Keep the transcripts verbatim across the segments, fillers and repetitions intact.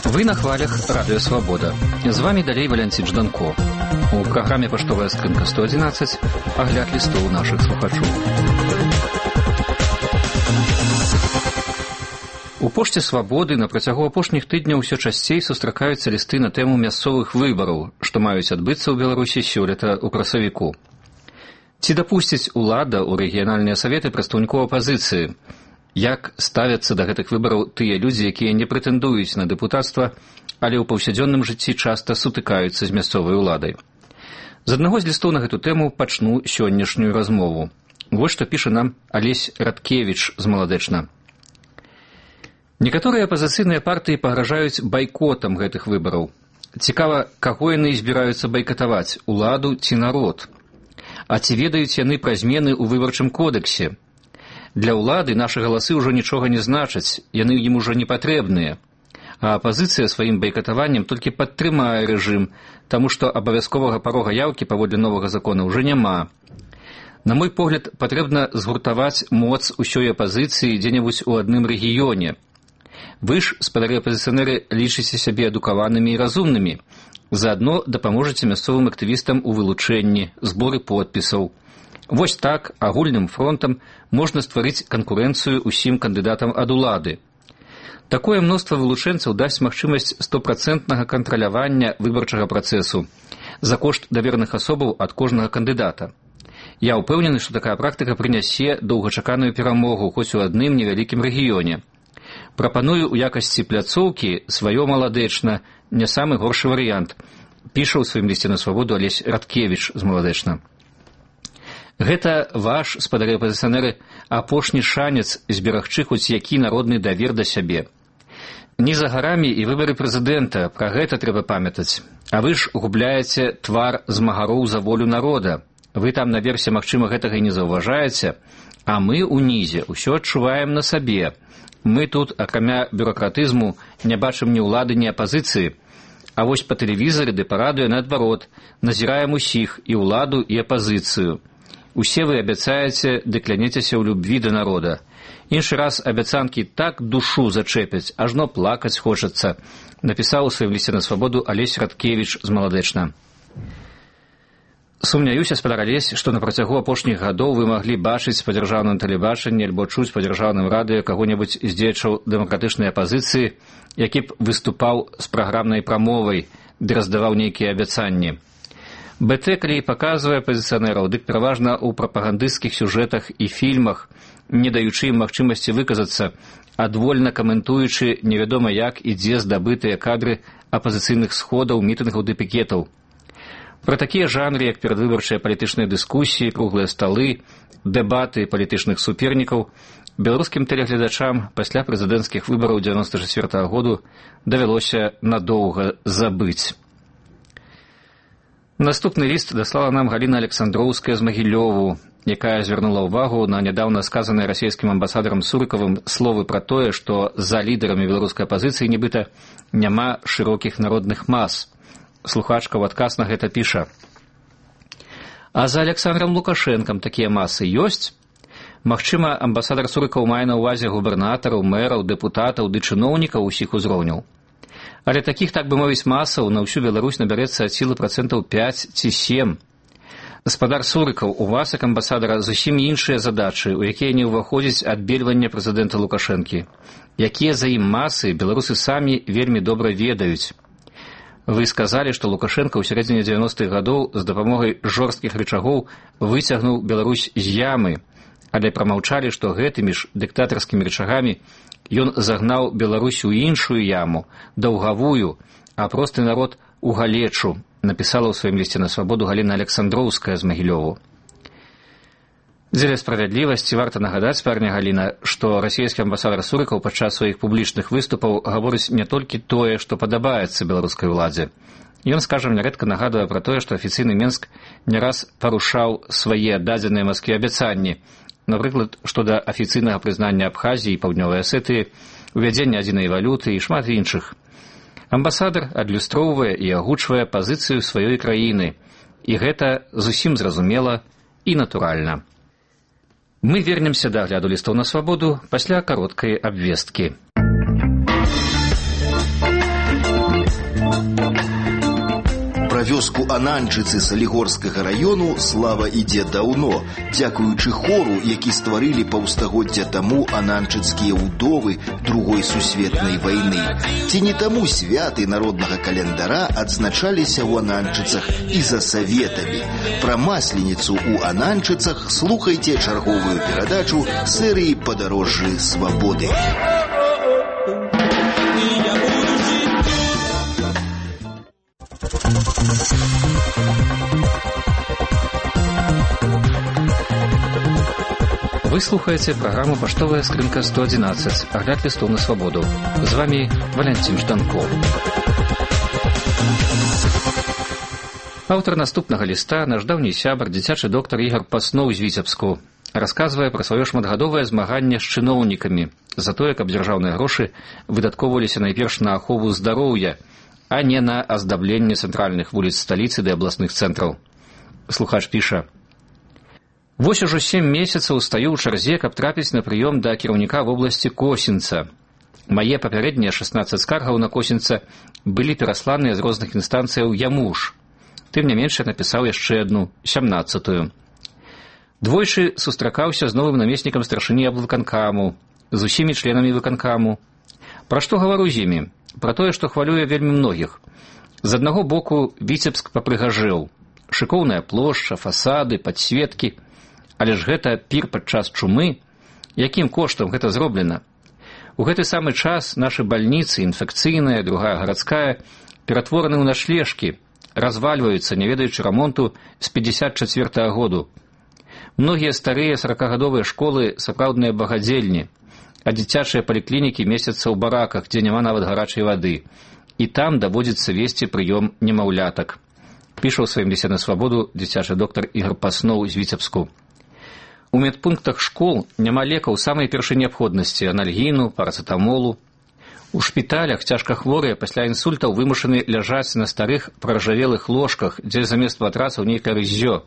Вы на хвалях Радио Свобода. З вами далей Валянцін Жданко. У праграме «Паштовая скрынка сто одиннадцать» агляд лістоў нашых слухачоў. У пошце Свабоды на працягу апошніх тыдняў усё часцей сустракаюцца лісты на тэму мясцовых выбараў, што маюць адбыцца ў Беларусі сёлета ў красавіку. Ці дапусціць улада ў рэгіянальныя саветы прадстаўнікоў апазіцыі? Як ставяцца да гэтых выбараў тыя людзі, якія не прэтэндуюць на дэпутацтва, але ў паўсядзённым жыцці часта сутыкаюцца з мясцовай уладай? З аднаго з лістоў на гэту тэму пачну сённяшнюю размову. Вось што піша нам Алесь Радкевіч з Маладэчна. Некаторыя апазіцыйныя партыі пагражаюць байкотам гэтых выбараў. Цікава, каго яны збіраюцца байкатаваць, уладу ці народ? А ці ведаюць яны пра змены ў выбарчым кодексе? Для ўлады нашы галасы ўжо нічога не значаць, яны ім ужо не патрэбныя. А апазіцыя сваім байкатаваннем толькі падтрымае рэжым, таму што абавязковага парога яўкі паводле новага закона ўжо няма. На мой погляд, патрэбна згуртаваць моц усёй апазіцыі дзе-небудзь у адным рэгіёне. Вы ж, спадары апазіцыянеры, лічыце сябе адукаванымі і разумнымі. Заадно дапаможаце мясцовым актывістам у вылучэнні, зборы подпісаў. Вось так, агульным фронтам можна стварыць канкурэнцыю ўсім кандыдатам ад улады. Такое мноства вылучэнцаў дасць магчымасць стопрацэнтнага кантралявання выбарчага працэсу за кошт давераных асобаў ад кожнага кандыдата. Я ўпэўнены, што такая практыка прынясе доўгачаканую перамогу хоць у адным невялікім рэгіёне. Прапаную ў якасці пляцоўкі сваё Маладэчна, не самы горшы варыянт, піша ў сваім лісце на Свабоду Алесь Радкевіч з Маладэчна. Гэта ваш, спадары апазіцыянеры, апошні шанец зберагчы хоць які народны давер да сябе. Не за гарамі і выбары прэзідэнта, пра гэта трэба памятаць. А вы ж губляеце твар змагароў за волю народа. Вы там наверсе, магчыма, гэтага і не заўважаеце, а мы ўнізе ўсё адчуваем на сабе. Мы тут, акрамя бюракратызму, не бачым ні ўлады, ні апазіцыі. А вось па тэлевізары ды па радыё наадварот назіраем усіх, і ўладу, і апазіцыю. Усе вы абяцаеце ды кляняцеся ў любві да народа. Іншы раз абяцанкі так душу зачэпяць, ажно плакаць хочацца, напісаў у сваім лісце на Свабоду Алесь Радкевіч з Маладэчна. Сумняюся, спадар Алесь, што на працягу апошніх гадоў вы маглі бачыць па дзяржаўным тэлебачанні альбо чуць па дзяржаўным радыё каго-небудзь з дзеячаў дэмакратычнай апазіцыі, які б выступаў з праграмнай прамовай ды раздаваў нейкія абяцанні. БТ, калі паказвае апазіцыянераў, дык пераважна ў прапагандысцкіх сюжэтах і фільмах, не даючы ім магчымасці выказацца, адвольна каментуючы невядома як і дзе здабытыя кадры апазіцыйных сходаў, мітынгаў ды пікетаў. Пра такія жанры, як перадвыбарчыя палітычныя дыскусіі, круглыя сталы, дэбаты палітычных супернікаў, беларускім тэлегледачам пасля прэзідэнцкіх выбараў дзевяноста чацвёртага году давялося надоўга забыць. Наступны ліст даслала нам Галіна Александроўская з Магілёву, якая звярнула ўвагу на нядаўна сказаныя расійскім амбасадарам Сурыкавым словы пра тое, што за лідарамі беларускай апазіцыі нібыта няма шырокіх народных мас. Слухачка ў адказ на гэта піша. А за Александром Лукашэнкам такія масы ёсць? Магчыма, амбасадар Сурыкаў мае на ўвазе губернатараў, мэраў, дэпутатаў ды чыноўнікаў усіх узроўняў. Але такіх, так бы мовіць, масаў на ўсю Беларусь набярэцца ад сілы працэнтаў пяць ці сем. Гаспадар Сурыкаў, у вас, як амбасадара, зусім іншыя задачы, у якія не ўваходзіць адбельванне прэзідэнта Лукашэнкі. Якія за ім масы, беларусы самі вельмі добра ведаюць. Вы сказалі, што Лукашэнка ў сярэдзіне дзевяностых гадоў з дапамогай жорсткіх рычагоў выцягнуў Беларусь з ямы, але прамаўчалі, што гэтымі ж дыктатарскімі рычагамі ён загнаў Беларусь у іншую яму, даўгавую, а просты народ у галечу, напісала ў сваім лісце на Свабоду Галіна Александроўская з Магілёву. Дзеля справядлівасці варта нагадаць, парня Галіна, што расійскі амбасадар Сурыкаў падчас сваіх публічных выступаў гаворыць не толькі тое, што падабаецца беларускай уладзе. Ён, скажам, нярэдка нагадвае пра тое, што афіцыйны Менск не раз парушаў свае дадзеныя Маскве абяцанні, напрыклад, што да афіцыйнага прызнання Абхазіі і Паўднёвай Асетыі, увядзення адзінай валюты і шмат іншых. Амбасадар адлюстроўвае і агучвае пазіцыю сваёй краіны, і гэта зусім зразумела і натуральна. Мы вернемся да агляду лістоў на свабоду пасля кароткай абвесткі. Пра вёску Ананчыцы Салігорскага раёну слава ідзе даўно, дзякуючы хору, які стварылі паўстагоддзя таму ананчыцкія ўдовы другой сусветнай вайны. Ці не таму святы народнага календара адзначаліся ў Ананчыцах і за саветамі. Пра масленіцу ў Ананчыцах слухайце чарговую перадачу серыі «Падарожжы свабоды». Вы слухаеце праграму «Паштовая скрынка сто адзінаццаць», агляд лістоў на свабоду. З вами Валянцін Жданков. Аўтар наступнага ліста, наш даўні сябар, дзіцячы доктар Ігар Пасноў з Віцебску, расказвае пра сваё шматгадовае змаганне з чыноўнікамі за тое, каб дзяржаўныя грошы выдаткоўваліся найперш на ахову здароўя, а не на аздабленне цэнтральных вуліц сталіцы ды абласных цэнтраў. Слухач піша: «Вось ужо сем месяцаў стаю ў чарзе, каб трапіць на прыём да кіраўніка вобласці Косінца. Мае папярэднія шаснаццаць скаргаў на Косінца былі перасланыя з розных інстанцыяў яму ж. Тым не менш, я напісаў яшчэ адну, сямнаццатую. Двойчы сустракаўся з новым намеснікам старшыні аблвыканкаму, з усімі членамі выканкаму. Пра што гавару з імі? Пра тое, што хвалюе вельмі многіх. З аднаго боку Віцебск папрыгажэў. Шыкоўная плошча, фасады, падсветкі. Але ж гэта пір падчас чумы. Якім коштам гэта зроблена? У гэты самы час нашы бальніцы, інфекцыйная, другая гарадская, ператвораны ў начлежкі, развальваюцца, не ведаючы рамонту з пятьдесят четвёртага году. Многія старыя саракагадовыя школы сапраўдныя багадзельні, а дзіцячыя паліклінікі месяцца ў бараках, дзе няма нават гарачай вады. І там даводзіцца весці прыём немаўлятак. Піша ў сваім лісце на свабоду дзіцячы доктар Ігар Пасноў з Віцебску. У медпунктах школ няма лекаў самай першай неабходнасці – анальгіну, парацетамолу. У шпіталях цяжкахворыя пасля інсультаў вымушаны ляжаць на старых праржавелых ложках, дзе замест матрацаў нейкае рыззё.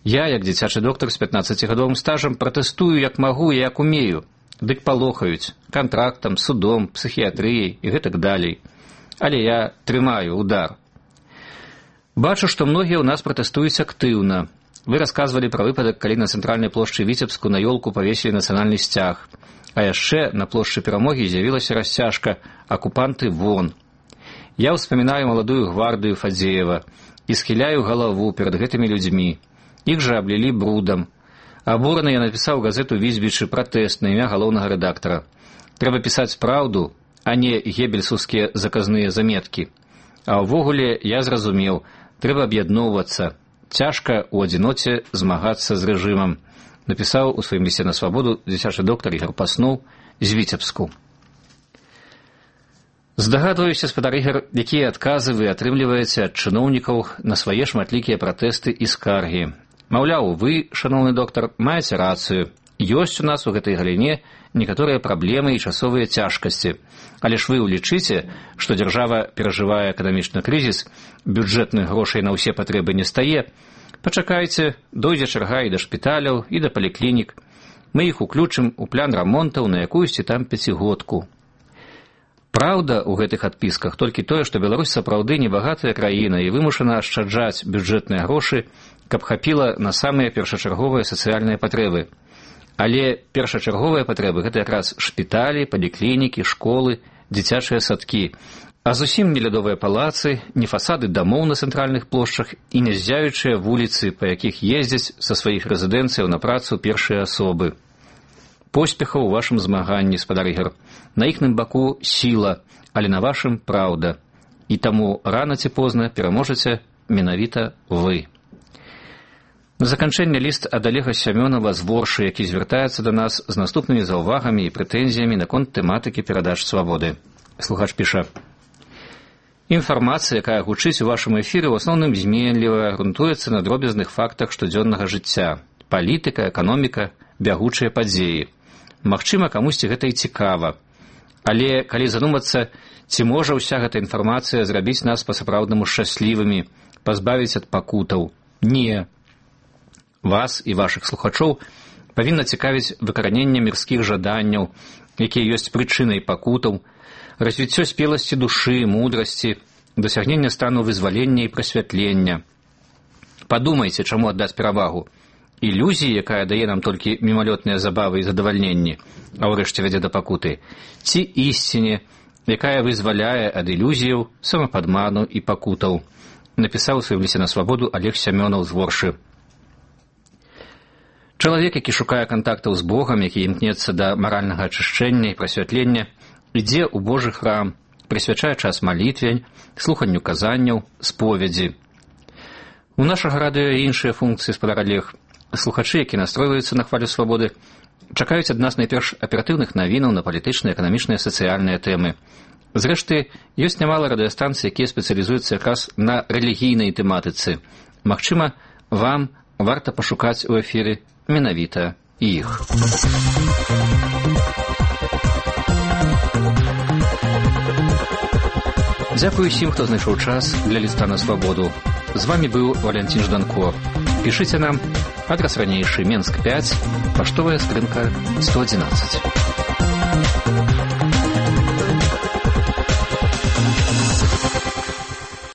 Я, як дзіцячы доктар з пятнаццацігадовым стажам, пратэстую як магу і як умею. Дык палохаюць кантрактам, судом, псіхіятрыяй і гэтак далей. Але я трымаю удар. Бачу, што многія ў нас пратэстуюць актыўна. Вы расказвалі пра выпадак, калі на цэнтральнай плошчы Віцебску на ёлку павесілі нацыянальны сцяг. А яшчэ на плошчы Перамогі з'явілася расцяжка «Акупанты вон». Я ўспамінаю маладую гвардыю Фадзеева і схіляю галаву перад гэтымі людзьмі. Іх жа аблілі брудам. Абураны я напісаў газету «Візбічы» пратэст на імя галоўнага рэдактара. Трэба пісаць праўду, а не геббельсаўскія заказныя заметкі. А ўвогуле я зразумеў, трэба аб'ядноўвацца. Цяжка ў адзіноце змагацца з рэжымам. Напісаў у сваім лісце на свабоду дзіцячы доктар Ігар Пасноў з Віцебску. Здагадваюся, спадар Ігар, якія адказы вы атрымліваеце ад чыноўнікаў на свае шматлікія пратэсты і скаргі. Маўляў, вы, шаноўны доктар, маеце рацыю. Ёсць у нас у гэтай галіне некаторыя праблемы і часовыя цяжкасці. Але ж вы ўлічыце, што дзяржава перажывае эканамічны крызіс, бюджэтных грошай на ўсе патрэбы не стае. Пачакайце, дойдзе чарга і да шпіталяў, і да паліклінік. Мы іх уключым у план рамонтаў на якуюсьці там пяцігодку. Праўда ў гэтых адпісках толькі тое, што Беларусь сапраўды небагатая краіна і вымушана ашчаджаць бюджэтныя грошы, каб хапіла на самыя першачарговыя сацыяльныя патрэбы. Але першачарговыя патрэбы – гэта якраз шпіталі, паліклінікі, школы, дзіцячыя садкі. А зусім не лядовыя палацы, не фасады дамоў на цэнтральных плошчах і не ззяючыя вуліцы, па якіх ездзяць са сваіх рэзідэнцыяў на працу першыя асобы. Поспехаў у вашым змаганні, спадар Ігар. На іхным баку сіла, але на вашым праўда. І таму рана ці позна пераможаце менавіта вы. На заканчэнне ліст ад Олега Сямёнава з Воршы, які звяртаецца да нас з наступнымі заўвагамі і прэтэнзіямі наконт тэматыкі перадач свабоды. Слухач піша: «Інфармацыя, якая гучыць у вашым эфіры, у асноўным зменлівая, грунтуецца на дробязных фактах штодзённага жыцця. Палітыка, эканоміка, бягучыя падзеі. Магчыма, камусьці гэта і цікава. Але, калі задумацца, ці можа ўся гэта інфармацыя зрабіць нас па-сапраўднаму шчаслівымі, пазбавіць ад пакутаў? Не. Вас і вашых слухачоў павінна цікавіць выкараненне мірскіх жаданняў, якія ёсць прычынай пакутаў, развіццё спеласці душы, мудрасці, дасягнення стану вызвалення і прасвятлення. Падумайце, чаму аддаць перавагу. Ілюзіі, якая дае нам толькі мімалётныя забавы і задавальненні, а ўрэшце вядзе да пакуты, ці ісціне, якая вызваляе ад ілюзіяў, самападману і пакутаў, напісаў у сваім лісце на свабоду Олег Сямёнаў з Воршы. Чалавек, які шукае кантактаў з Богам, які імкнецца да маральнага ачышчэння і прасвятлення, ідзе ў Божы храм, прысвячае час малітве, слуханню казанняў, споведзі. У нашага радыё іншыя функцыі, спадар Олег. Слухачы, які настройваюцца на хвалю свабоды, чакаюць ад нас найперш аператыўных навінаў на палітычныя, эканамічныя, сацыяльныя тэмы. Зрэшты, ёсць нямала радыёстанцый, якія спецыялізуюцца якраз на рэлігійнай тэматыцы. Магчыма, вам варта пашукаць у эфіры менавіта іх. Дзякую усім, хто знайшоў час для ліста на свабоду. З вами быў Валентин Жданко. Пішыце нам, адрас ранейшы, Менск пяць, паштовая скрынка сто адзінаццаць.